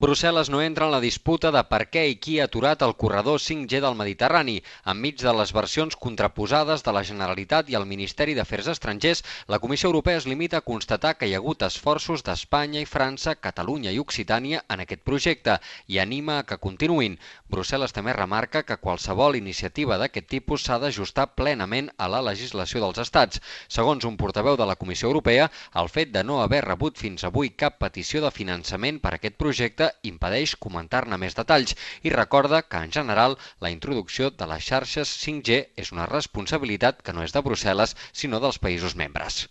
Brussel·les no entra en la disputa de per què i qui ha aturat el corredor 5G del Mediterrani. Enmig de les versions contraposades de la Generalitat i el Ministeri d'Afers Estrangers, la Comissió Europea es limita a constatar que hi ha hagut esforços d'Espanya i França, Catalunya i Occitània en aquest projecte i anima a que continuïn. Brussel·les també remarca que qualsevol iniciativa d'aquest tipus s'ha d'ajustar plenament a la legislació dels estats. Segons un portaveu de la Comissió Europea, el fet de no haver rebut fins avui cap petició de finançament per a aquest projecte impedeix comentar-ne més detalls i recorda que, en general, la introducció de les xarxes 5G és una responsabilitat que no és de Brussel·les, sinó dels països membres.